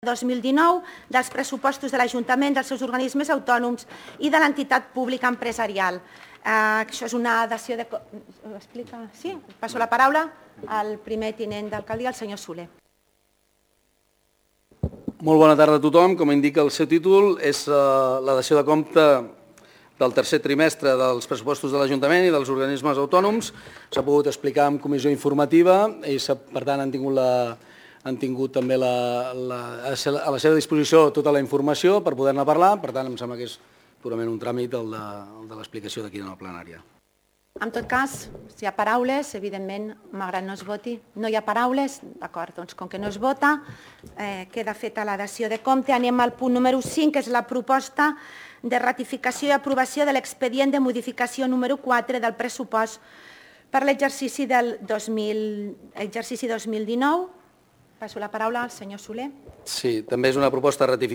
2019 dels pressupostos de l'Ajuntament, dels seus organismes autònoms i de l'entitat pública empresarial. Això és una dació de... Sí? Passo la paraula al primer tinent d'alcaldia, el senyor Soler. Molt bona tarda a tothom. Com indica el seu títol, és la dació de compte del tercer trimestre dels pressupostos de l'Ajuntament i dels organismes autònoms. S'ha pogut explicar en comissió informativa i, per tant, han tingut també a la seva disposició tota la informació per poder-ne parlar. Per tant, em sembla que és purament un tràmit el de l'explicació d'aquí en la plenària. En tot cas, si hi ha paraules, evidentment, malgrat no es voti. No hi ha paraules? D'acord, doncs com que no es vota, queda feta la dació de compte. Anem al punt número 5, que és la proposta de ratificació i aprovació de l'expedient de modificació número 4 del pressupost per l'exercici del 2019. Passo la paraula al senyor Soler. Sí, també és una proposta de ratificació